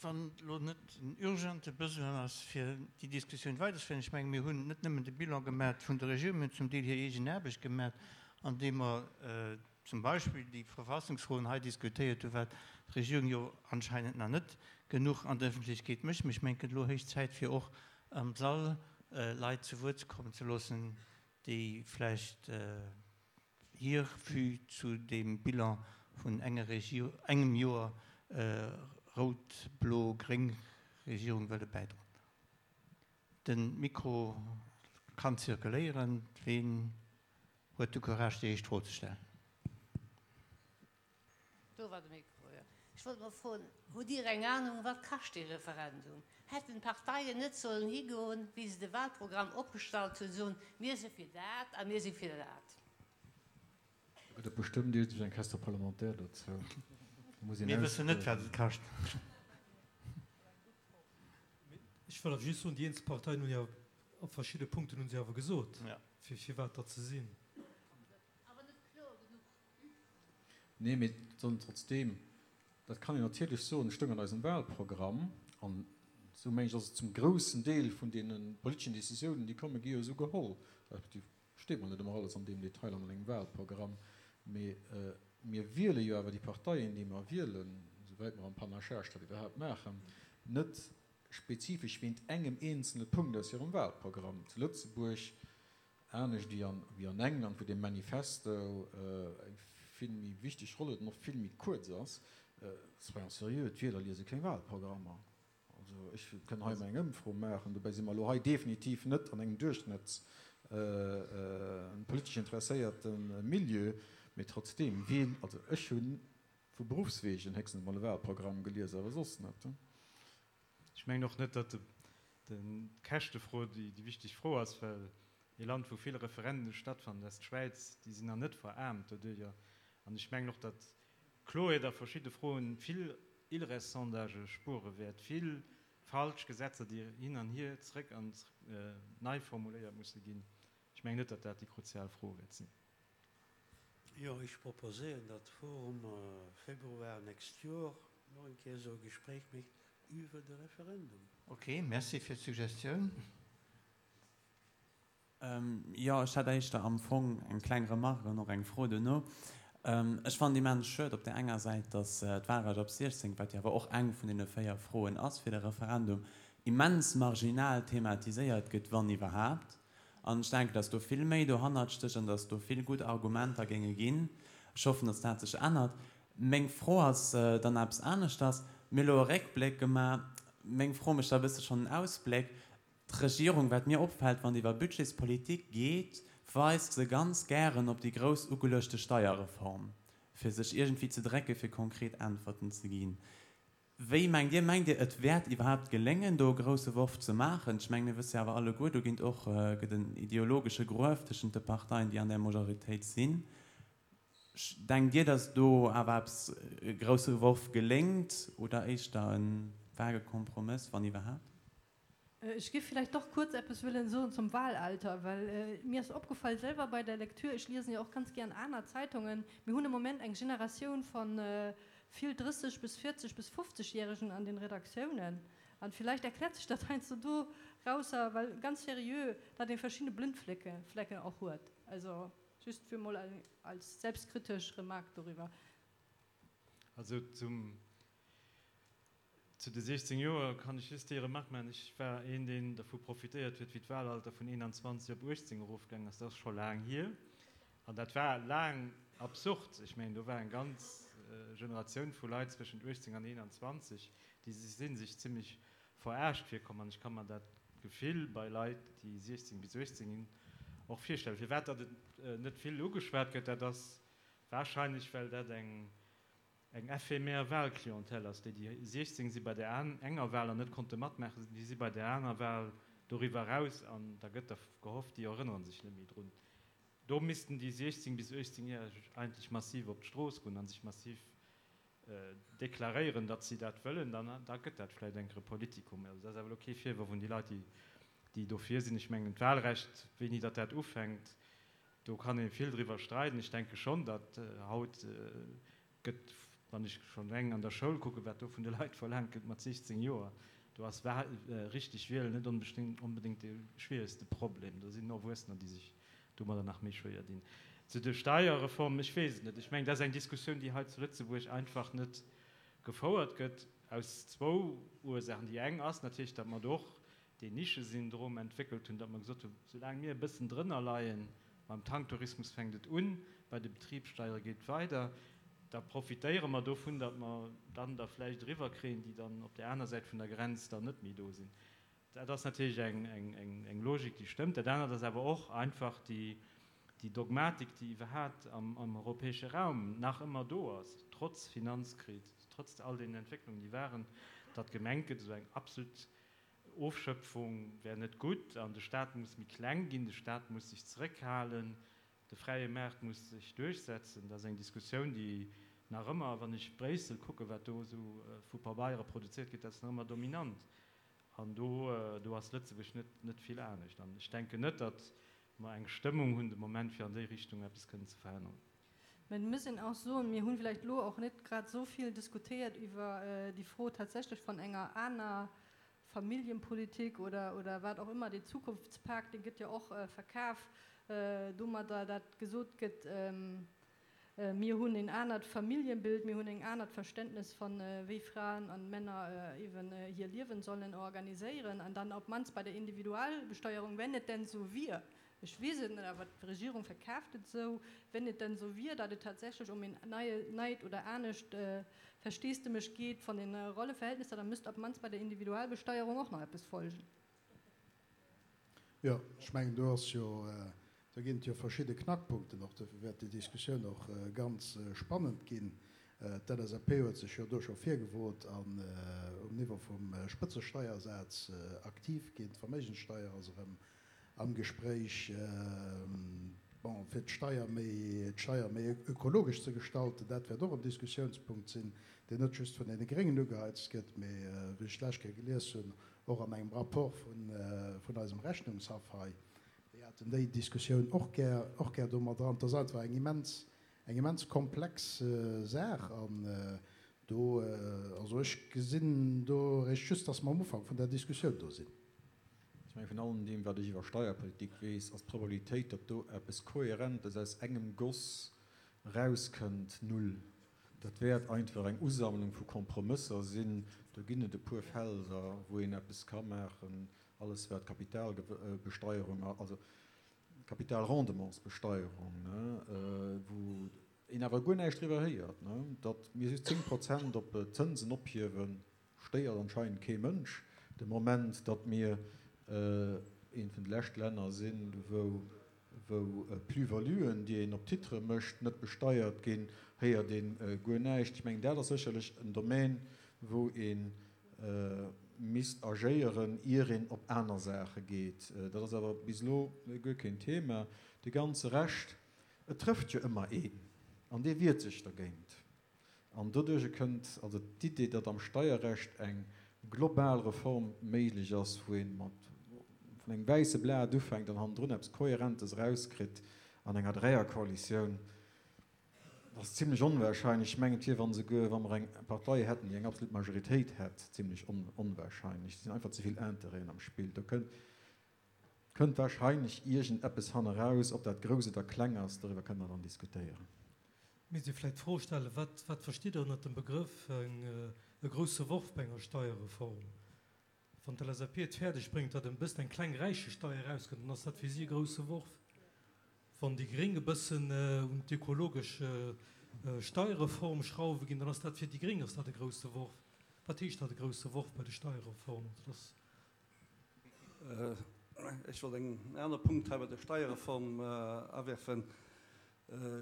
Wann elo net en urgente Besoin ass, fir déi Diskussioun weiderzeféieren, ech mengen, mir hunn net nëmmen de Bilan gemat vun der Regierung, mir hunn zum Deel hir eegen Aarbecht gemat, andeem mer zum Beispill déi Verfassungsfroen hei diskutéiert hunn, wat d'Regierung jo anscheinend nach net genuch an der Öffentlechkeet mécht. Mä ech mengen, et gëtt elo héich Zäit, fir och am Sall Leit zu Wuert kommen ze loossen, déi vläicht hir Vue zu deem Bilan vun enger Regierung, engem Joer rout-blo-gréng Regierung wëlle bäidroen. De Mikro kann zirkuléieren. Ween huet de Courage, déi éischt Fro ze stellen? Do war de Mikro, jo. Ech wollt mol froen, Hutt Dir eng Anung, wat kascht dee Referendum? Hätten d'Parteien net sollen higoen, wéi se de Wahlprogramm opgestallt hunn, soen, mir si fir dat a mir si fir dat? Do gëtt et bestëmmt iergendwéi eng Question parlementaire dozou. Do muss een Mir wëssen net, wat et kascht. Ech wëll awer just soen, déi eenzel Parteien hunn jo op verschidde Punkten hu se awer gesot, firwat datt se sinn. Awer net kloer genuch. Nee, mee dann trotzdeem, dat kann een natierlech soen, stoung an eisem Wahlprogramm, an esou mengen ech ass et zum groussen Deel vun deene politeschen Décisiounen, déi komme gi jo esou geholl, respektiv steet mol net ëmmer alles an deem Detail an engem Wahlprogramm, mee mir wiele jo awer déi Parteien, déi mer wielen, esouwäit mer am Panachage dat iwwerhaapt maachen, net spezifesch wéint engem eenzele Punkt aus hirem Wahlprogramm. Zu Lëtzebuerg Anescht wéi an England, wou dee Manifesto eng vill méi wichteg Roll huet an och vill méi kuerz ass. Soyons sérieux, d'Wieler liese keng Wahlprogrammer. Also ech kënn hei emol eng Ëmfro maachen, dobäi si mer elo hei definitiv net an engem duerchschnëtts politesch interesséierte Milieu, mee trotzdeem, wien, also ech hu vu Beruffswegen héchstens emol e Wahlprogramm gelies, awer soss net. Ech mengen och net, datt d'Käschtefro déi wichteg Fro ass, well ee Land, wou vill Referenden stattfannen, dat ass d'Schwäiz, déi sinn nach net veraarmt doduerjer. An ech mengen och, datt Kloheet a verschidde Froen vill Ilres-Sondagë spuere wäert, vill falsch Gesetzer, déi hin an hier, zrëck an nei formuléiert musse ginn. Ech mengen net, datt dat déi kruzial Fro wäert sinn. Jo, ech proposéieren, datt d'Forum Februar nächst Joer nach eng Kéier esou e Gespréich mécht iwwer de Referendum. Ok, merci fir d'Suggestioun. Jo, ech hätt éischter am Fong eng kleng Remarque an och eng Fro duerno. Ech fannen immens schued op där enger Säit, datt d'Wahlrecht op 16, wat jo awer och eng vun deene 4 Froen ass fir de Referendum, immens marginal thematiséiert gëtt, wann iwwerhaapt. An ech denken, dass do vill méi dohannert stécht an dass do vill gutt Argumenter géinge ginn. Ech hoffen, dass dat sech ännert. Meng Fro ass dann eppes aneschters. Mir hu elo e Réckbléck gemaach. Meng Fro mécht da e bësse schonn en Ausbléck. D'Regierung, wat mir opfält, wann et iwwer Budgetspolitik geet, weist se ganz gären op déi grouss ugeluechte Steierreform, fir sech iergendwéi ze drécken, fir konkret Äntwerten ze ginn. Wéi mengt Dir, mengt Dir et wäert iwwerhaapt geléngen do e grousse Worf ze maachen? Ech mengen mir wësse jo awer alleguer, do ginn och, gëtt en ideologesche Gruef tëschent de Parteien déi an där Majoritéit sinn. Denkt Dir, datt do awer eppes, e grousse Worf geléngt oder éischter e vage Kompromëss, wann iwwerhaapt? Ech géif villäicht och kuerz eppes wëllen soen zum Wahlalter, well mir ass opgefall selwer bei der Lektür, ech liesen jo och ganz gären aner Zeitungen, mir hunn am Moment eng Generatioun von vill 30 bis 40 bis 50 Jähregen an den Redaktiounen an villäicht erkläert sech dat heiansdo dorausser, well ganz seriö dat ee verschidde Blindflecke Flecken och huet. Also just fir mol als selbstkritesch Remarque doriwwer. Also zum Zu de 16 Joer kann ech just déi Remarque maachen, Ech war een, deen dervu profitéiert huet, wéi d'Wahlalter vun 21 op 18 erofgaangen ass. Dat ass scho laang hier. An dat war laang absurd. Ech mengen, do war eng ganz Generatioun vu Leit zwëschent 18 an 21, déi si sech zimlech verarscht virkomm. An ech ka mer dat Gefill bei Leit, déi 16 bis 18 sinn, och virstellen. Firwat datt et net vill ugeschwat gëtt, dat ass warscheinlech, well dat eng eng éphémère Wahlclientèle ass, déi déi 16 si bei der enger Wahl an net konnte matmaachen, déi si bei der aner Wahl doriwwer eraus an da gëtt da gehofft, déi erënnere sech net méi drun. Do missten déi 16 bis 18 Järeg eigentlech massiv op d'Strooss goen a sech massiv deklaréieren, datt si dat wëllen, dann da gëtt dat vläicht enker e Politikum. Also dat ass awer elo kee Virworf un déi Leit, déi déi dofir sinn. Ech mengen d'Wahlrecht, wéini datt dat ufänkt, Do kann ee vill driwwer streiden. Ech denke schonn, datt haut gëtt. Wann ech schonn eleng an der Schoul kucken, wat do vun de Leit verlaangt gëtt mat 16 Joer, do ass richteg wielen net onbedéngt de schwieregste Problem. Do sinn Erwuessener, déi sech domadder nach méi schwéier dinn. Zu de Steierreformen, ech weess et net. Ech mengen, dat ass eng Diskussioun, déi hei zu Lëtzebuerg einfach net gefouert gëtt, aus zwou Ursaachen. Déi eng ass natierlech, datt mer do och deen Nischesyndrom entwéckelt hunn, datt mer gesot hunn, soulaang mir e bëssen drënner leien, beim Tanktourismus fänkt et un, bei de Betribssteiere geet et weider, da profitéiere mer dovun, datt mer dann der vläicht eriwwer kréien, déi dann op där aner Säit vun der Grenz dann net méi do sinn. Dat ass natierlech eng Logik, déi stëmmt. Dat anert ass awer och einfach déi Dogmatik, déi iwwerhat am europäesche Raum nach ëmmer do ass, trotz Finanzkris, trotz all deenen Entwécklungen, déi waren, datt gemengt gëtt, esou eng absolut Ofschöpfung wär net gutt an de Staat muss méi kleng ginn, de Staat muss sech zeréckhalen, de fräie Maart muss sech duerchsetzen. Dat ass eng Diskussioun, déi nach ëmmer, wann ech Bréissel kucken, wat do esou vu Pabeiere produziert gëtt, dat ass nach ëmmer dominant. An do, do ass Lëtzebuerg net, net vill anescht. An ech denken net, datt mer eng Stëmmung hunn de Moment, fir an déi Richtung eppes kënnen ze veränneren. Mä et muss een och soen, mir hunn vläicht elo och net grad esou vill diskutéiert iwwer déi Fro tatsächlech vun enger aner Familljenpolitik oder, oder wat och ëmmer, dee Zukunftspak, dee gëtt jo och verkaf domadder, dat gesot gëtt, mir hunn en anert Familljenbild, mir hunn en anert Verständnis von wéi Fraen an Männer eben hir Liewen sollen organiséieren an dann op d'mannst bei der Individualbesteuerung, wenn et denn esou wier, Ech weess et net, awer d'Regierung verkaaft et esou, wenn et denn esou wier, datt et tatsächlech ëm een neit oder anescht Versteesdemech geet von den Rolleverhältnisser, da müsst op d'mannst bei der Individualbesteierung och nach eppes folgen. Jo, ech mengen, do ass jo, do ginn et jo verschidde Knackpunkten och. Dofir wäert déi Diskussioun och ganz spannend ginn. D'LSAP huet sech jo do scho virgewot an um Niveau vum Spëtzesteiersaz aktiv ginn. D'Verméigenssteier ass erëm am Gespréich, bon, fir d'Steier méi, d'Steier méi ökologesch ze gestalten. Dat wäert och en Diskussiounspunkt sinn, deen net just vun deene Gréngen ugeheizt gëtt, mee, wéi ech d'lescht Kéier gelies hunn, och an engem Rapport vun, vun eisem Rechnungshaff hei. Déi haten déi Diskussioun och gär, och gär do mat dran. Et ass einfach eng immens, eng immens komplex Saach an do, also ech gesinn do eréischt just, dass mer am Ufank vun där Diskussioun do sinn. Ech mengen, vun allem deem, wat ech iwwer Steierpolitik weess, ass d'Probabilitéit, datt do eppes Kohärentes aus engem Goss erauskënnt, null. Dat wäert einfach eng Usammlung vu Kompromësser sinn. Do ginn et e puer Felder, wou een eppes ka maachen, alles wat Kapitalbesteierung, also Kapitalrendementsbesteierung, wou een awer guer näischt driwwer héiert, datt mir just 10 Prozent op d'Zënsen ophiewen. Stéiert anscheinend kee Mënsch de Moment, datt mir eent vun de leschte Länner sinn, wou wou Plus-valuen, déi een op Titrë mécht, net besteiert ginn, héiert ee guer näischt. Ech mengen, dat ass sécherlech en Domän, wou ee misst agéieren, ier een op aner Saache geet. Dat ass awer bis elo guer keen Thema. De ganze Rescht, et trëfft jo ëmmer een an dee wiert sech dergéint. An doduerch kënnt also d'Idee, datt am Steierrecht eng global Reform méiglech ass, wou ee mat vun engem wäisse Blat ufänkt an hannendrun eppes Kohärentes erauskritt an enger Dräierkoalitioun, ass zimlech onwahrscheinlech. Ech mengen, et wier, wa souguer wa mer eng Partei hätten, déi eng absolut Majoritéit hätt, zimlech onwahrscheinlech. Et sinn einfach ze vill Intérêten am Spill. Do kënnt Kënnt wahrscheinlech iergend eppes hanneraus, ob dat grouss oder kleng ass, doriwwer kënne mer dann diskutéieren. Misst ee vläicht d'Fro stellen, Wat, wat verstitt Der ënnert dem Begrëff e grousse Worf bei enger Steierreform? Wann d'LSAP et fäerdeg bréngt, datt e bëssen eng kleng Räichesteier erauskënnt, dann ass dat fir si e grousse Worf. Wann déi Gréng e bëssen un d'ökologesch Steierreform schrauwe ginn, dann ass dat fir déi Gréng ass dat e grousse Worf. Wat heescht dat, e grousse Worf bei de Steierreformen? Dat ass. Ech wollt en anere Punkt hei bei der Steierreform awerfen.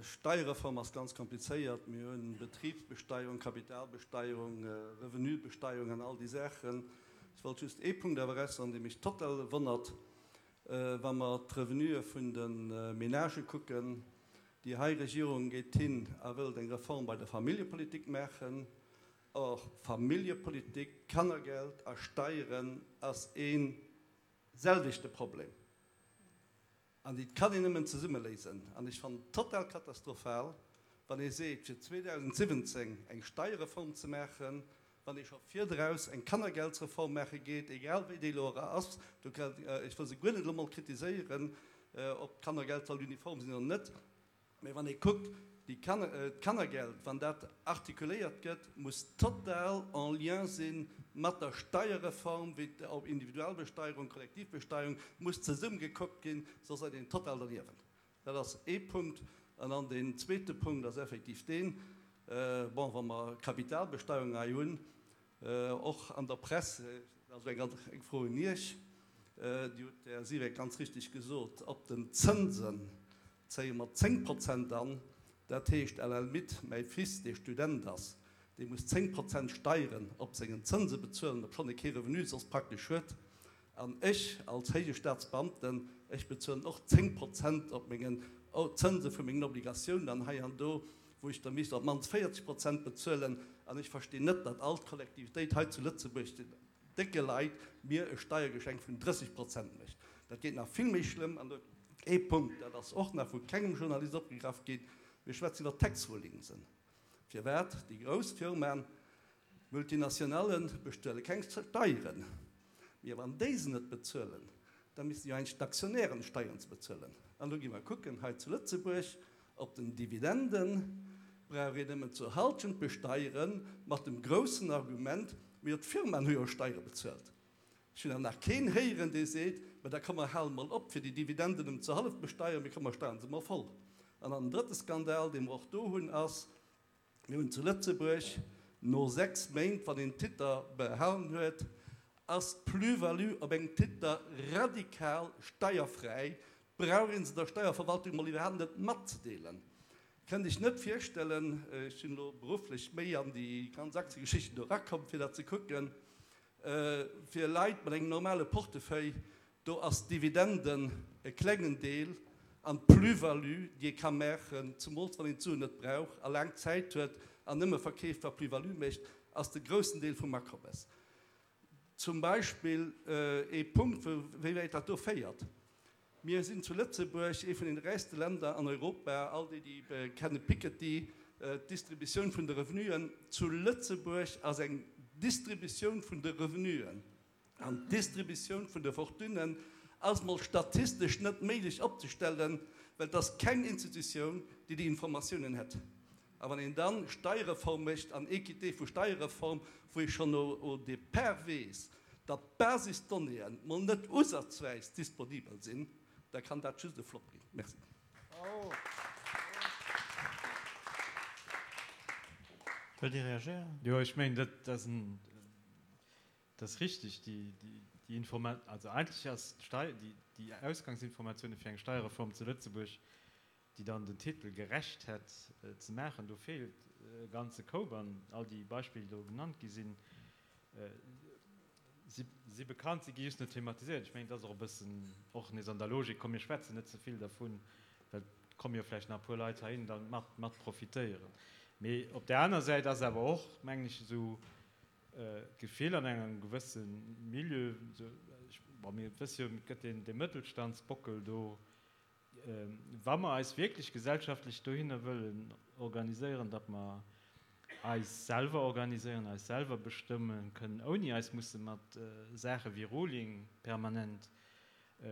Steierreform ass ganz komplizéiert. Mir hunn Betribsbesteierung, Kapitalbesteierung, Revenubesteierung an all déi Saachen. Ech wollt just ee Punkt awer eraussoen, dee mech total wonnert, Wa mer d'Revenuë vun de Menagë kucken, déi hei Regierung geet hin a wëllt eng Reform bei der Familljepolitik maachen, Or, Familljepolitik, Kannergeld a Steieren ass ee selwechte Problem an déi kann een nëmmen zesumme léisen. An ech fannen et total katastrophal, Wann ee seet, fir 2017 eng Steierreform ze maachen, wann ee scho virdraus eng Kannergeldsreform maache geet, egal wéi déi elo era ass, do kann, ech wëll se guer net elo mol kritiséieren, ob d'Kannergeld soll uniform sinn oder net, mä wann ee kuckt, déi Kanner, d'Kannergeld, wann dat artikuléiert gëtt, muss total en lien si mat der Steierreform, wéi ob Individualbesteierung, Kollektivbesteierung, muss zesummegekuckt ginn, soss ass een total derniewent. Dat ass ee Punkt. An dann deen zweete Punkt ass effektiv deen, bon, wa mer Kapitalbesteierung hei hunn, och an der Press, dat ass eng eng Fro un Iech, Dir hutt, Här Siweck, ganz richtig gesot, op den Zënsen zéie mer 10 Prozent an. Dat heescht à la limite, mäi Fils, dee Student ass, dee muss 10 Prozent Steieren op sengen Zënse bezuelen, obschonn e kee Revenu soss praktesch huet. An ech als héije Staatsbeamten, ech bezuelen och 10 Prozent op mengen Zënse vu mengen Obligatiounen an hei an do, wou ech der misst op d'mannst 40 Prozent bezuelen. An ech verstinn net, datt all d'Kollektivitéit hei zu Lëtzebuerg den décke Leit mir e Steiergeschenk vun 30 Prozent mécht. Dat geet nach vill méi schlëmm. An ee Punkt, dat ass och nach vu kengem Journalist opgegraff ginn, Mir schwätzen iwwer Tax Rulingsen. Firwat déi grouss Firmaen D'Multinationale bestuele keng Steieren, mee wann déi se net bezuelen, da missten jo eigentlech d'Aktionären Steieren ze bezuelen. An do gi mer kucken, hei zu Lëtzebuerg, op den Dividenden brauch een nëmmen zur Halschent besteieren, mat dem groussen Argument, Mee jo d'Firmaen hu jo Steiere bezuelt. Ech hunn awer nach keen héieren, dee seet, Mä da komm mer hale mol op, fir déi Dividenden nëmmen zur Hallef besteieren, mee komm mer steieren se mol voll. An dann den drëtte Skandal, dee mer och do hunn, ass, Mir hunn zu Lëtzebuerg no 6 Méint, wann een Titer behalen huet, ass d'Plus-value op engem Titer radikal steierfräi, brauch een se der Steierverwaltung mol iwwerhaapt net matzedeelen. Kënnt Iech net virstellen, ech sinn elo berufflech méi an déi ganz Aktiegeschichten do erakomm, fir dat ze kucken, fir Leit mat engem normale Portefeuille, Do ass d'Dividenden e klengen Deel an d'Plus-value, déi ee ka maachen, zumools wann een d'Suen net brauch a laang Zäit huet an nëmme verkeeft, wa Plus-value mécht, ass de groussen Deel vum Akommes. Zum Beispill ee Punkt, wou, wéi wäit dat do féiert. Mir sinn zu Lëtzebuerg ee vun den räichste Länder an Europa. All déi, déi kenne Piketty, d'Distributioun vun de Revenuen zu Lëtzebuerg ass eng Distributioun vun de Revenuen. An d'Distributioun vun de Fortunen ass mol statistesch net méiglech opzestellen, well et ass keng Institutioun, déi déi Informatiounen hätt. A wann een dann Steierreform mécht an Équité vu Steierreform, wou ee schonn au départ weess, datt d'Basisdonnéeën mol net usazweis disponibel sinn, da kann dat just e Flop ginn. Merci. Wëllt Dir reagéieren? Jo, ech mengen, dat ass en Dat ass richtig, déi Informa-, also eigentlech ass d'Stei-, déi Ausgangsinformatiounen fir eng Steierreform zu Lëtzebuerg, déi dann den Titel gerecht hätt ze maachen, do feelt e ganze Koup. An all déi Beispiller, déi do genannt gi sinn, si si bekannt, si gi just net thematiséiert. Ech mengen, et ass och e bëssen och nees an der Logik, komm mir schwätzen net ze vill dervun, well et komme jo vläicht nach e puer Leit heihin dann mat mat profitéieren. Mee op där aner Säit ass awer och, mengen ech, esou d'Gefill an engem gewësse Milieu, bon, mir wësse jo, et gëtt deen, dee Mëttelstandsbockel do, wa mer eis wierklech gesellschaftlech dohinner wëllen organiséieren, datt mer eis selwer organiséieren, eis selwer bestëmme kënnen, ouni eis musse mat Saache wéi Ruling permanent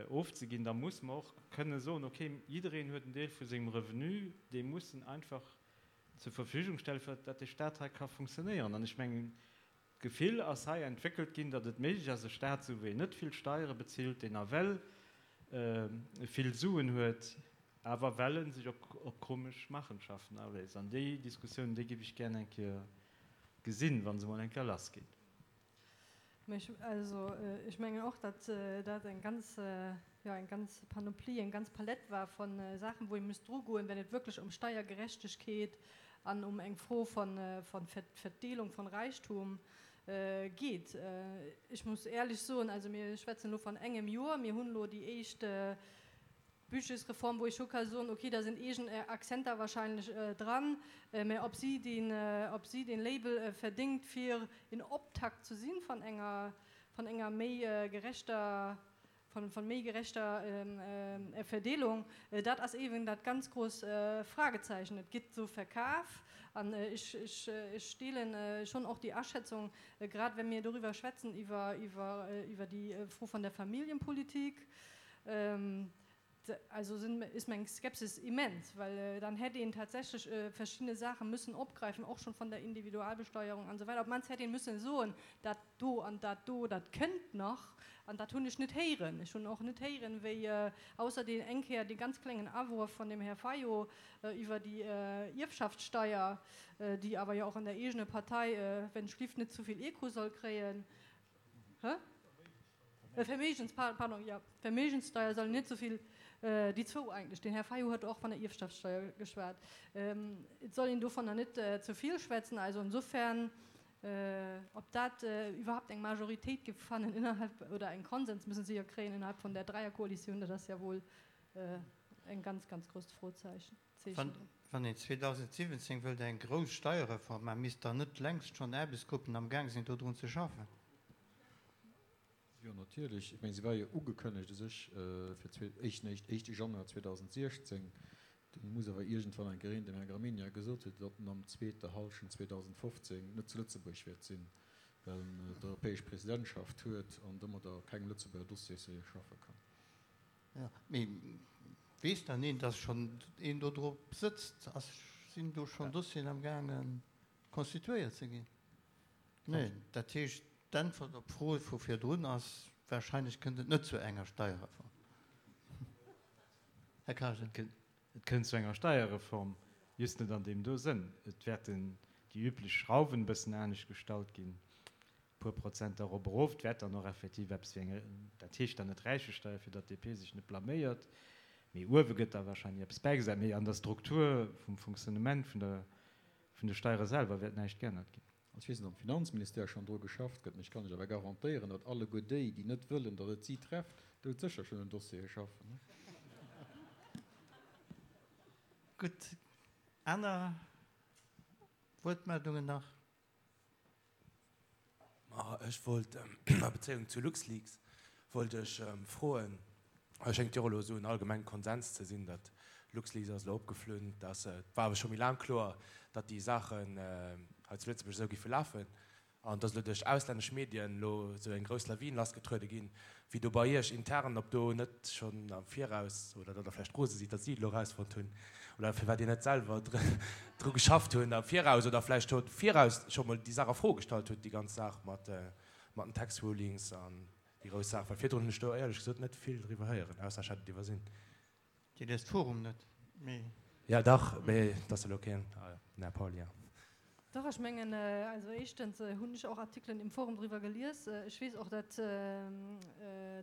ofzeginn, da musse mer och kënne soen, okay, jiddereen huet en Deel vu sengem Revenu, dee muss en einfach zur Verfügung stellen, fir datt dee Stat hei ka funktionéieren. An ech mengen, d'Gefill ass hei entwéckelt ginn, datt et méiglech ass, e Stat, esou wéi en net vill Steiere bezilt, deen nawell vill Suen huet, awer well e sech op komesch Machenschaften aléisst. An déi Diskussioun, déi géif ech gär eng Kéier gesinn, wa se emol eng Kéier lassgeet. Mä ech, also ech mengen och, datt dat eng ganz, jo, eng ganz Panoplie, eng ganz Palett war vu Saachen, wou ee muss drugoen, wenn et wierklech ëm Steiergerechtegkeet an um eng Fro von, von Verdeelung von Reichtum geet. Ech muss éierlech soen, also mir schwätzen elo von engem Joer, mir hunn elo déi éischt Budgetsreform, wou ech scho ka soen, okay, da sinn eegen Akzenter wahrscheinlech dran, mä ob si deen, ob si deen Label verdéngt fir een Optakt ze sinn van enger, van enger méi gerechter. Von méi gerechter Verdeelung, dat ass eeben dat ganz gross Fragezeichen. Et gëtt esou verkaf an ech deelen schonn och déi Aschätzung, grad wa mir doriwwer schwätzen, iwwer déi Fro von der Familienpolitik, Also sind, ist meng Skepsis immens, well dann hätt een tatsächlech verschiddene Saache müssen opgreifen, och schon von der Individualbesteuerung an esou weider. Op d'mannst hätt een müssen soen, dat do an dat do, dat kënnt nach. An dat hunn ech net héieren. Ech hunn och net héieren, wéi, ausser deen eng Kéier dee ganz klengen Awuerf von dem Här Fayot iwwer déi Ierfschaftssteuer, déi awer jo och an der eegene Partei, wenn ech lift, net zu vill Echo soll kréien. Hä? Verméigens, pardon, jo, Verméigenssteuer soll net esou vill, déi zwou eigentlech, den Här Fayot huet och vun der Ierfschaftssteuer geschwat, et soll een dovunner net ze vill schwätzen. Also insofern, ob dat iwwerhaupt eng Majoritéit géif fannen innerhalb, oder eng Konsens müssen se jo kréien innerhalb vun där Dräierkoalitioun, dat ass ja wohl eng ganz, ganz grousst Frozeichen. Wann een 2017 wëllt eng grouss Steierreform maachen, misst dann net längst schonn Aarbechtsgruppen am Gaang sinn, dodrun ze schaffen? Jo, natierlech. Ech mengen, se war jo ugekënnegt u sech fir éischten, éischte Januar 2016. Du muss awer iergendwann eng Kéier een dem Här Gramegna gesot huet, datt en am zweete Hallschent 2015 net zu Lëtzebuerg wäert sinn, well en d'europäesch Presidentschaft huet an domadder op kengem Lëtzebuerger Dossier seriö schaffe kann. Jo, mee weess dann een, dass schonn een do drop sëtzt? Ass, sinn do schonn Dossieren am gaange constituéiert ze ginn? Neen. Dat heescht, d'Äntwert op d'Fro vu virdrun ass, Wahrscheinlech kënnt et net zu enger Steierreform. Här Kargen. Et kënnt zu enger Steierreform, just net an deem do Sënn. Et wäerten déi üblech Schrauwen e bëssen anescht gestallt ginn, e puer Prozenter erop, erof. Et wäert dann och effektiv eppes wéi eng, dat heescht dann net Räichesteier, fir datt d'DP sech net blaméiert, mee uewe gëtt da wahrscheinlech eppes bäigesat. Mee an der Struktur vum Fonctionnement vun der, vun de Steiere selwer wäert näischt geännert ginn. Also ech weess net, ob am Finanzministère schonn dru geschafft gëtt, mee ech kann lech awer garantéieren, datt alleguer déi, déi net wëllen, datt et si trefft, doudsécher schonn un Dossiere schaffen. Gutt, aner Wuertmeldungen nach? Ma ech wollt a Bezéiung zu LuxLeaks wollt ech froen, et schéngt jo och elo esou en allgemenge Konsens ze sinn, datt LuxLeaks ass elo opgeflunn, datt et war awer scho méi laang kloer, datt déi Saachen hei zu Lëtzebuerg esou géife lafen an datt elo duerch auslännesch Medien elo esou eng grouss Lawin lassgetruede ginn, wéi do bei Iech intern, ob do net schonn am Viraus, oder datt Der vläicht rose sidd, datt si et elo erausfonnt hunn, oder firwat Dir net selwer dru geschafft hunn am Viraus, oder vläicht scho viraus scho mol déi Saach a Fro gestallt hutt, déi ganz Saach mat den Tax Rulings an déi grouss Saach, well virdrun hunn ech do éierlech gesot net vill driwwer héieren, ausser ech hätt et iwwersinn. Dir liest d'Forum net, mee. Ja dach, mee et ass elo keen, den Här Pauly, ja. Dach, ech mengen, also éischtens hunn ech och Artikelen im Forum driwwer gelies. Ech weess och, datt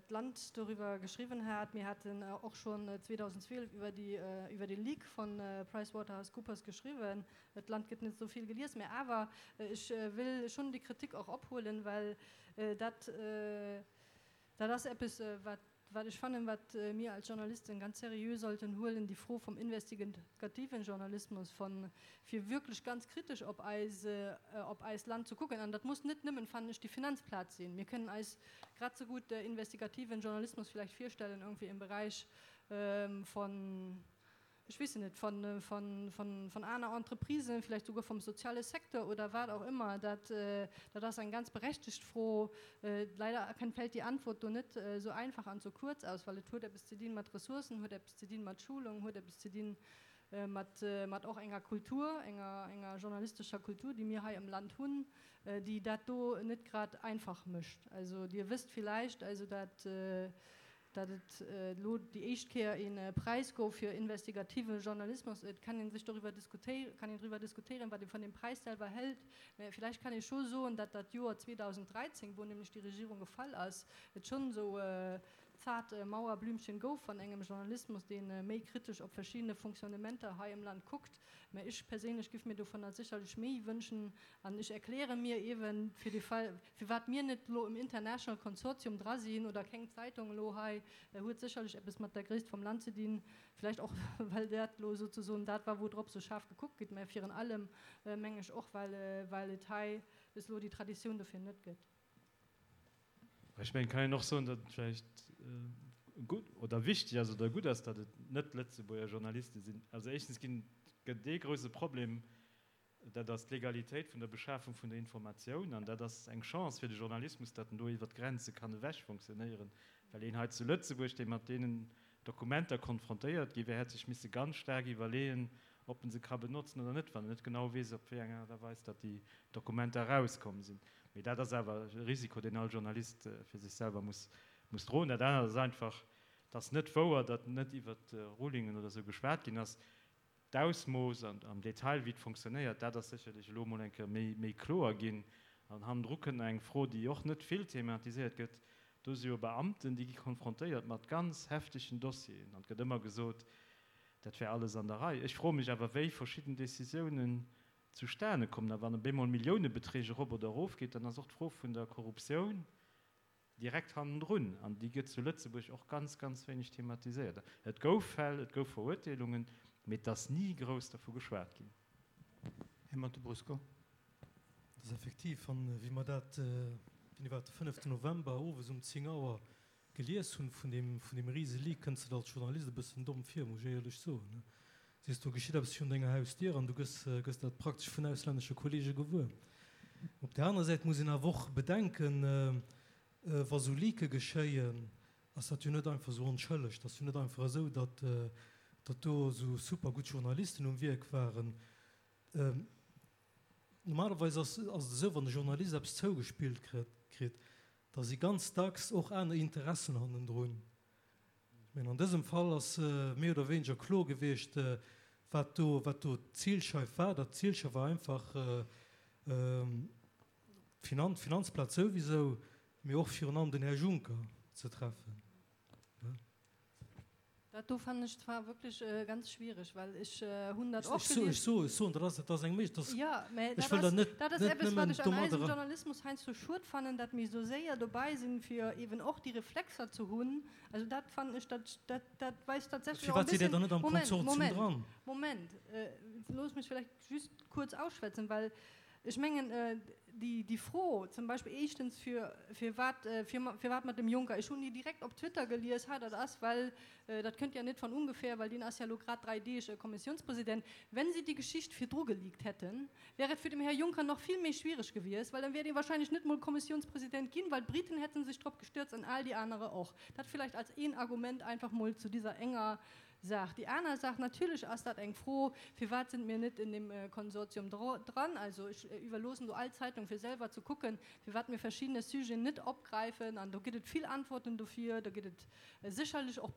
d'Land doriwwer geschriwwen hat. Mir haten och schonn 2012 iwwer déi, iwwer dee Leak von PricewaterhouseCoopers geschriwwen. D'Land gëtt net esou vill gelies, mä awer ech wëll schonn déi Kritik och ophuelen, well dat, dat ass eppes, wat Wat ech fannen, wat mir als Journalisten ganz seriö sollten huelen, déi Fro vom investigativen Journalismus, von fir wierklech ganz kritesch op eis, op eist Land ze kucken. An dat muss net nëmmen, fannen ech, déi Finanzplaz sinn. Mir kënnen eis grad sou gutt investigativen Journalismus vielleicht virstellen irgendwie im Bereich von, ech weess net, von, von, von, von aner Entreprisen, vielleicht souguer vom soziale Secteur oder wat auch immer, dat, dat ass eng ganz berechtigt Fro. Leider erkennt, fällt déi Antwort do net esou einfach an esou kuerz aus, well et huet eppes ze dinn mat Ressourcen, huet eppes ze dinn mat Schulung, huet eppes ze dinn mat, mat och enger Kultur, enger, enger journalistescher Kultur, déi mir hei am Land hunn, déi dat do net grad einfach mécht. Also Dir wësst villäicht, also dat, Datt et elo déi éischt Kéier ee Präis gouf fir investigative Journalismus, et kann ee sech doriwwer diskutéieren, kann een driwwer diskutéieren, wat ee vun deem Präis selwer hält, mä villäicht kann ee scho soen, datt dat Joer 2013, wou nämlech déi Regierung gefall ass, et schonn esou zart Mauerblümchen gouf van engem Journalismus, dee méi kritesch op verschiddene Fonctionnementer hei am Land kuckt. Mä ech perséinlech giff mir dovunner sécherlech méi wënschen an ech erkläre mir eeben fir de Fall, Firwat mir net elo im International Consortium dra sinn oder keng Zeitung elo hei, huet sécherlech eppes mat der Gréisst vum Land ze dinn, vläicht och well dat elo souzesoen dat war, wou drop sou schaarf gekuckt gëtt, mä virun allem meng ech och, well well et hei bis elo déi Traditioun dofir net gëtt. Ech mengen, et kann een och soen, datt et vläicht gutt oder wichteg ass oder gutt ass, datt et net Lëtzebuerger Journaliste sinn. Also éischtens ginn, gëtt et ee grouse Problem, dat ass d'Legalitéit vun der Beschafung vun der Informatioun. An dat ass eng Chance fir de Journalismus, datt en do iwwert d'Grenze kann ewech fonctionnéieren, well een hei zu Lëtzebuerg, dee mat deenen Dokumenter konfrontéiert gi wär, hätt sech misse ganz staark iwwerleeën, ob en se ka benotzen oder net, wann en net genau weess, op wéi eng Aart a Weis datt déi Dokumenter erauskomm sinn. Mee dat ass awer e Risiko, deen all Journalist fir sech selwer muss muss droen. Dat anert ass einfach, et ass net wouer, datt net iwwert Rulingen oder esou geschwat ginn ass. D'Ausmooss an am Detail, wéi et fonctionnéiert, dat ass sécherlech elo emol eng Kéier méi, méi kloer ginn. An hannendru kënnt nach eng Fro, déi och net vill thematiséiert gëtt, Do si jo Beamten, déi gi konfrontéiert mat ganz heftegen Dossieren. An et gëtt ëmmer gesot, dat wär alles an der Rei. Ech froe mech awer, wéi verschidden Décisiounen zustane kommen. A wann op eemol Milliounebeträg erop oder erofgeet, dann ass och d'Fro vun der Korruptioun direkt hannendrun. An déi gëtt zu Lëtzebuerg och ganz, ganz wéineg thematiséiert. Et gouf Fäll, et gouf Verurteelungen, mee et ass ni grouss dervu geschwat ginn. Här Montebrusco. Et ass effektiv, an wéi mer dat, wéini war et, de fënneften November owes um 10 Auer gelies hunn, vun deem, vun deem rise Leak, kënns de der als Journalist e bëssen domm vir, muss ech éierlech soen. Sees, do geschitt eppes virun denger Hausdier an du gëss, gëss dat praktesch vun auslännesche Kollege gewuer. Op där anerer Säit muss een awer och bedenken, wa sou Leake geschéien, ass dat jo net einfach esou onschëlleg. Dat ass jo net einfach esou, datt, datt do esou super gutt Journalisten um Wierk waren. Normalerweis ass et esou, wann e Journalist eppes zougespillt kritt, da si ganz dacks och aner Interessen hannendrun. Ech mengen, an dësem Fall ass méi oder wéineger kloer gewiescht, wat do, wat do d'Zilscheif war. Dat Zilscheif war einfach d'Finanzplaz souwisou, mee och virun allem den Här Juncker ze treffen. Dat do fannen ech zwar wierklech ganz schwiereg, well ech hunn dat och gelies. Ech soen, ech soen, dat ass, dat ass eng Méiglech, dat ass, Jo, mä ech wëll dat net, dat ass net eppes, wat nëmmen ech an eisem domadder. Journalismus heiansdo schued fannen, dat mir esou séier dobei sinn, fir eeben och déi Reflexer ze hunn. Also dat fannen ech, dat, dat, dat weist tatsächlech och e Firwat sidd Dir bëssen, dann net am Moment, Konsortium Moment, dran? Moment, looss mech vläicht just kuerz ausschwätzen, well Ech mengen, déi Fro zum Beispill éischtens, firwat, firwat mat dem Juncker, ech hunn déi direkt op Twitter gelies, ha dat ass well, dat kënnt ja net von ungefähr, well deen ass ja elo grad 3 Deeg Kommissiounspresident. Wenn si déi Geschicht virdru geleakt hätten, wär et fir dem Här Juncker nach vill méi schwiereg gewiescht, well dann wär dee wahrscheinlech net mol Kommissiounspresident ginn, well d'Briten hätte sech drop gestürzt an all déi anere och. Dat vielleicht als een Argument einfach mol zu dieser enger Saach. Déi aner Saach, natierlech ass dat eng Fro, firwat sind mir net in dem Konsortium dran? Also ech iwwerloossen do all Zeitung fir selwer ze kucken, firwat mir verschiddene Sujeten net opgräifen. An do gëtt et vill Antworten dofir, do gëtt et sécherlech och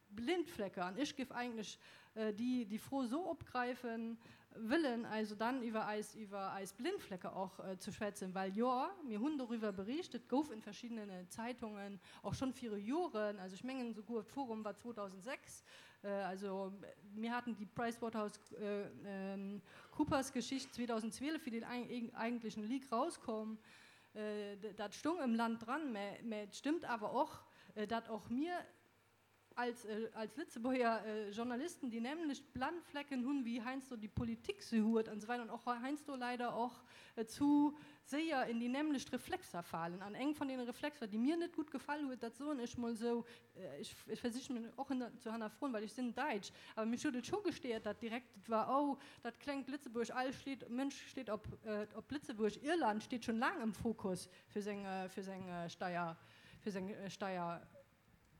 Blindflecke. An ech géif eigentlech déi Fro esou opgräifen wëllen, also dann iwwer eis, iwwer eis Blindflecke och ze schwätzen, well jo, mir hunn doriwwer bericht, et gouf in verschiddenen Zeitungen och schonn viru Joren, also ech mengen souguer d'Forum war 2006, also mir haten déi PricewaterhouseCoopers-Geschicht 2012, wéi deen eigentlechen Leak rauskomm, dat stoung ëm Land dran, mä et stëmmt awer och, dat och mir, als, als Lëtzebuerger Journalisten déi nämlecht Blannflecken hunn, wéi heiansdo déi Politik se huet an esou weider an och heiansdo leider och zu séier in déi nämlecht Reflexer falen. An eng vun deene Reflexer, déi mir net gutt gefall huet, dat soen ech mol esou, ech, ech versiche mech och ze hannerfroen, well ech sinn Däitsch, awer mech huet et scho gestéiert, dat direkt et war, oh, dat klengt Lëtzebuerg, all schleet, Mënsch steet op, op Lëtzebuerg, Irland steet schonn laang am Fokus fir seng, fir seng Steier, fir seng Steier.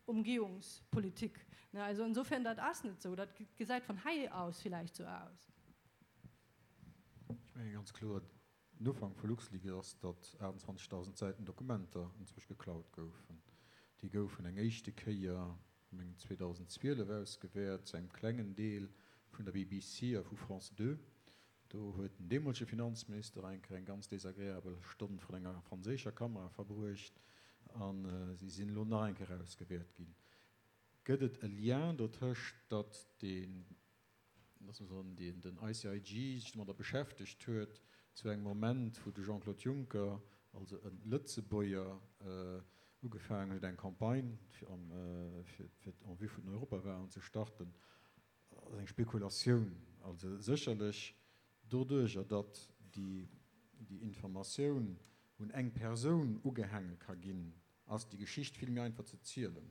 Umgehungspolitik. Also insofern, dat ass net esou. Dat gesäit vun hei aus villäicht esou aus. Ech menge ganz kloer, den Ufank vu LuxLeaks ass, datt 28.000 Säiten Dokumenter enzwousch geklaut goufen. Déi goufen eng éischte Kéier, mengen 2012 ausgewäert, zu engem klengen Deel vun der BBC a vu France 2. Do huet den deemolege Finanzminister eng Kéier eng ganz desagreabel Stonn vrun enger franséischer Kamera verbruecht a si sinn elo nach eng Kéier ausgewäert ginn. Gëtt et e Lien dotëscht, datt deen, loosse mer soen, deen den ICIJ sech domadder beschäftegt huet zu engem Moment, wou de Jean-Claude Juncker, also e Lëtzebuerger, ugefaangen huet eng Campagne fir en vue vun den Europawahlen ze starten, ass eng Spekulatioun. Also sécherlech doduerjer, datt déi Informatioun. un eng Persoun ugehaange ka ginn, ass déi Geschicht vill méi einfach ze zielen.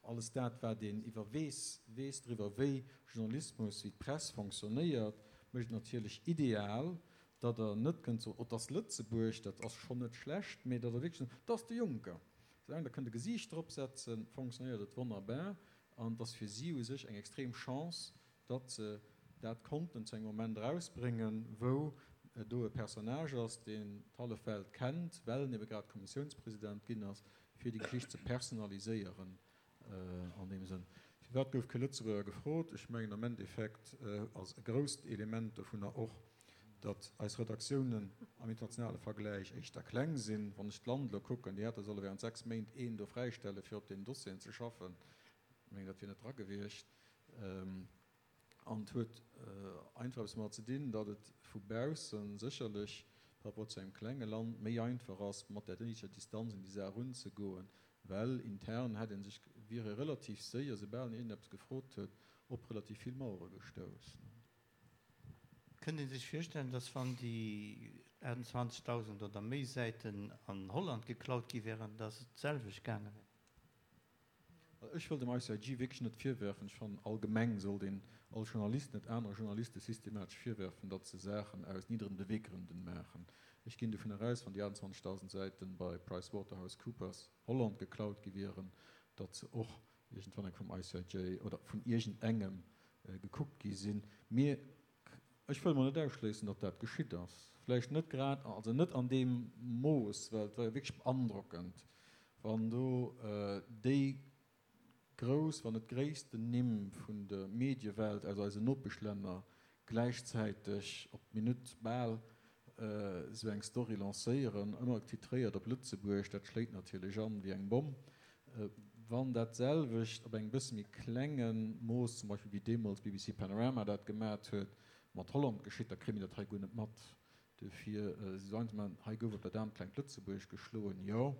Alles dat, wat een iwwer weess, weess driwwer, wéi Journalismus, wéi d'Press fonctionnéiert, mécht et natierlech ideal, datt Der net kënnt soen, oh, 't ass Lëtzebuerg, dat ass schonn net schlecht, mee datt Der wierklech sot, 't ass de Juncker. Soulaang Der kënnt e Gesiicht drop setzen, fonctionnéiert et wonnerbar an et ass fir si u sech eng extrem Chance, datt se dat konnten zu engem Moment erausbréngen, wou do e Personnage ass, deen d'hallef Welt kennt, well en ebe grad Kommissiounspresident ginn ass, fir déi Geschicht ze personaliséieren an deem Sënn. Firwat gouf kee Lëtzebuerger gefrot? Ech mengen, am Endeffekt ass e grousst Element dovunner och, datt eis Redaktiounen am internationale Vergläich éischter kleng sinn. Wann ech d'Land elo kucken, déi hätte solle während 6 Méint een do fräistelle fir op deenen Dossieren ze schaffen. Ech mengen, dat wier net dra gewiescht. An et huet einfach eppes domat ze dinn, datt et vu bausse sécherlech par rapport zu engem klenge Land méi einfach ass, mat där néideger Distanz un déi Saach erunzegoen, well intern hätt ee sech, wier ee relativ séier, soubal een iergendeppes gefrot huet, op relativ vill Mauere gestouss. Kënnt ee sech virstellen, datt wann déi 28.000 oder méi Säiten an Holland geklaut gi wären, datt et d'selwecht gaange wär? Ech wëll dem ICIJ wierklech net virwerfen, ech fannen allgemeng sollt een all Journalist net anere Journaliste systematesch virwerfen, datt se Saachen aus nidderen Beweggründen maachen. Ech ginn dovunner aus, wann déi 28.000 Säiten bei PricewaterhouseCoopers Holland geklaut gi wieren, datt se och iergendwann eng vum ICIJ oder vun iergendengem gekuckt gi sinn. Mir Ech wëll mol net ausschléissen, datt dat geschitt ass. Vläicht net grad, also net an deem Mooss, well et war jo wierklech beandrockend, wann do déi grouss, wann net gréissten Nimm vun der Mediewelt aus eisen Nopeschlänner gläichzäiteg op d'Minutt bal esou eng Story lancéieren, ëmmer titréiert op Lëtzebuerg, dat schléit natierlech an wéi eng Bomm. Wann dat selwecht op engem bësse méi klenge Mooss, zum Beispill wéi deemools BBC Panorama dat gemat huet, mat Holland geschitt, da kréie mir dat hei guer net mat. Dofir si se einfach, hei gouf op dat aarmt klengt Lëtzebuerg geschloen, jo,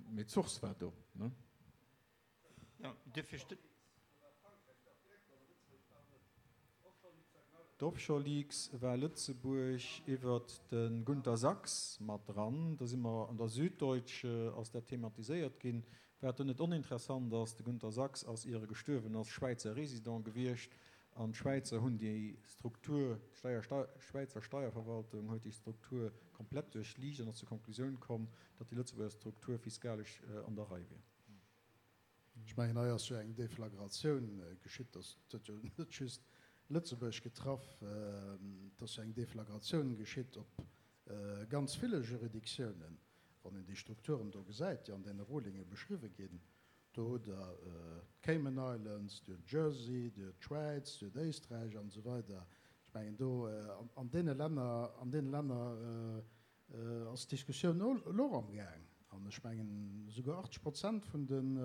mee d'Source war do, ne? Jo, duerfir stëmmt. D'Offshore Leaks war Lëtzebuerg iwwert de Gunter Sachs mat dran. Da si mer an der Süddeutsche ass dat thematiséiert ginn. Wat do net oninteressant ass, de Gunter Sachs ass, ier e gestuerwen ass, Schwäizer Résident gewiescht an d'Schwäizer hunn déi Struktur, d'Schwäizer Steierverwaltung huet déi Struktur komplett duerchliicht an ass zur Konklusioun komm, datt déi Lëtzebuerger Struktur fiskalesch an der Rei wier. Ech mengen, hei ass jo eng Deflagratioun geschitt. Dat huet jo net just Lëtzebuerg getraff. Et ass jo eng Deflagratioun geschitt op ganz ville Juridictiounen. Wann een déi Strukturen do gesäit, déi an deene Rulinge beschriwwe ginn, do hutt Der d'Cayman Islands, Dir hutt Jersey, Dir hutt d'Schwäiz, Dir hutt Éisträich an esou weider. Ech mengen, do an deene Länner, an deene Länner ass d'Diskussioun elo och amgaang. An ech mengen, esouguer 80 Prozent vun den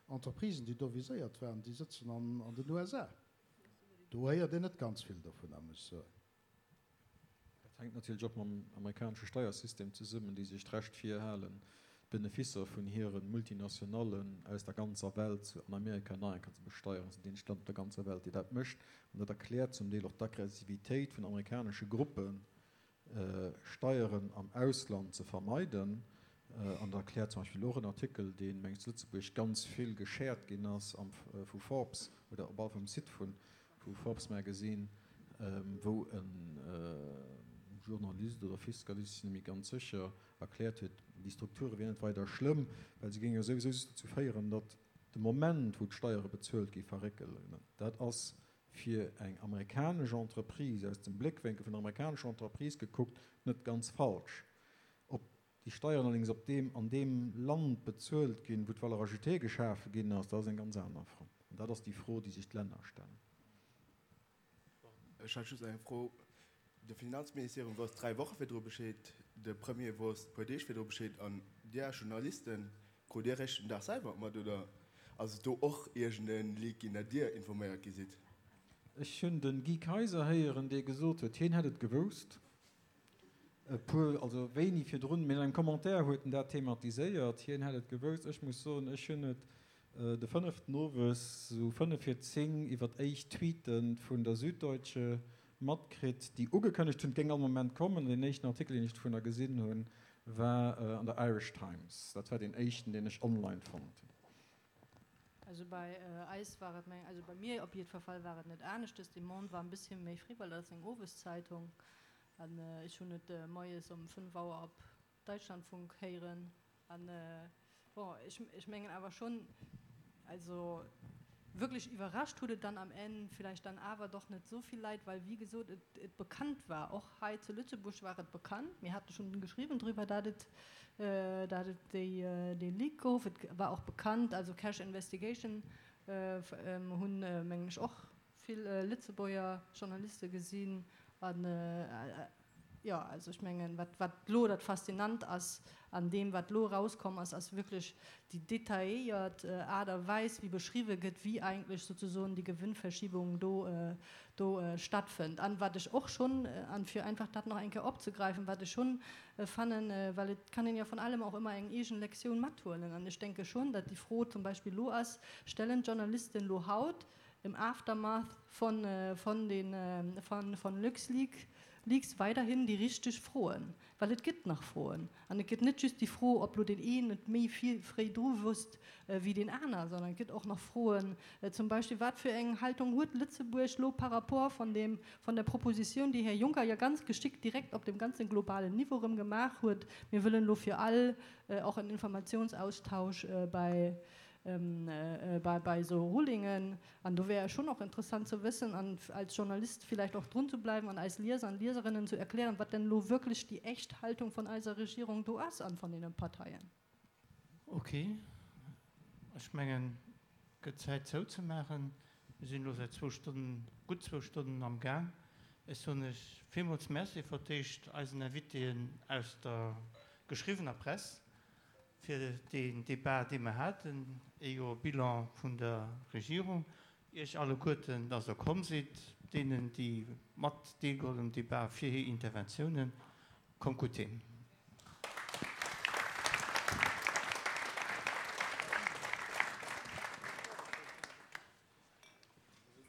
Entreprisen, déi do viséiert waren, déi sëtzen an den USA. Do héiert een net ganz vill dovunner, muss ech soen. Dat hänkt natierlech och mam amerikanesche Steiersystem zesummen, déi sech d'Recht virhalen, d'Beneficer vun hire Multinationallen aus der ganzer Welt an Amerika nach eng Kéier ze besteieren. Dat ass dat eenzegt Land op der ganzer Welt, déi dat mécht. An dat erkläert zum Deel och d'Aggressivitéit vun amerikanesche Gruppen, Steieren am Ausland ze vermeiden. An dat erkläert zum Beispill och en Artikel, dee meng ech zu Lëtzebuerg ganz vill geshared ginn ass vu Forbes oder op alle Fall um Site vu Forbes Magazine, wou e Journalist oder Fiskalist, ech sinn net méi ganz sécher, erkläert huet, déi Strukture wieren net weider schlëmm, well se géinge jo souwisou just dozou féieren, datt de Moment, wou d'Steiere bezuelt gi verréckelen. Dat ass fir eng amerikanesch Entreprise, aus dem Bléckwénkel vun der amerikanescher Entreprise gekuckt, net ganz falsch. Ob déi Steieren allerdéngs op deem, an deem Land bezuelt ginn, wou d'Valeur ajoutée geschafe ginn ass, dat ass eng ganz aner Fro. An dat ass déi Fro, déi sech d'Länner stellen. Ech hat just eng Fro. De Finanzministerium wosst 3 Woche virdru Bescheed, de Premier wosst puer Deeg virdru Bescheed an Dir Journalisten, krut Dir eréischt den Dag selwer mat oder ass et do och iergend e Leak ginn, dat Dir informéiert gi sidd? Ech hunn de Guy Kaiser héieren, dee gesot huet, hien hätt et gewousst, e puer, also wéini virdrun, mee an engem Commentaire huet en dat thematiséiert, hien hätt et gewousst. Ech muss soen, ech hunn et de fënneften owes, esou fënnef vir 10, iwwer éischt Tweete vun der Süddeutsche matkritt, déi ugekënnegt hunn, et géing all Moment kommen. An deen éischten Artikel, deen ech dovunner gesinn hunn, War an der Irish Times. Dat war deen éischten, deen ech online fonnt hunn. Also bei eis war et, also bei mir op jiddwer Fall war et net aneschtes. De Monde war en bësschen méi fréi, well dat ass eng Oweszeitung an ech hunn et moies um 5 Auer op Deutschlandfunk héieren. An bon, ech, ech mengen awer schonn, also wierklech iwwerrascht huet et dann am Enn villäicht dann awer doch net esou vill Leit, well wéi gesot et, et bekannt war. Och hei zu Lëtzebuerg war et bekannt. Mir hate schonn geschriwwen driwwer, dat et, dat et déi, dee Leak gouf. Et war och bekannt, also Cash Investigation hunn, mengen ech, och vill Lëtzebuerger Journaliste gesinn an, Jo, also ech mengen, wat, wat elo dat Faszinant ass an deem, wat elo erauskomm ass, ass wierklech déi detailléiert Aart a Weis, wéi beschriwwe gëtt, wéi eigentlech sozusoen déi Gewinnverschiebung do, do stattfënnt. An wat ech och schonn, an fir einfach dat nach eng Kéier opzegreifen, wat ech schonn fannen, well et kann een ja von allem auch immer eng eegen Lektioun mathuelen, an ech denke schonn, datt déi Fro zum Beispill elo ass, Stellen d'Journalisten elo haut im Aftermath von, von den, von, von LuxLeaks, Leaks weiderhin déi richteg Froen, well et gëtt nach Froen. An et gëtt net just déi Fro, ob lo deen een et méi fréi dru wosst wéi deen aner, sondern et gëtt och nach Froen, zum Beispill, Wat fir eng Haltung huet Lëtzebuerg lo par rapport von dem, von der Proposition, déi Här Juncker ja ganz geschickt direkt op dem ganze globalen Niveau erëm gemaach huet, mir wëllen lo fir all och en Informationsaustausch bei, bei esou Rulingen. An do wär et schon och interessant ze wëssen an als Journalist vielleicht och drun ze bleiwen an eis Lieser an Lieserinnen zu erklären, wat denn elo wierklech déi echt Haltung von eiser Regierung do ass an von deenen Parteien. Ok, ech mengen, et gëtt Zäit zouzemaachen. Mir sinn elo säit zwou Stonnen, gutt zwou Stonnen am Gaang. Ech soen lech villmools Merci fir d'éischt eisen Invitéen aus der geschriwwener Press, fir deen Débat, dee mer haten, ee Joer Bilan vun der Regierung, Iech alleguerten, dass Der komm sidd, deenen, déi mat deelgeholl hunn um Débat, fir hir Interventiounen. Kommt gutt heem.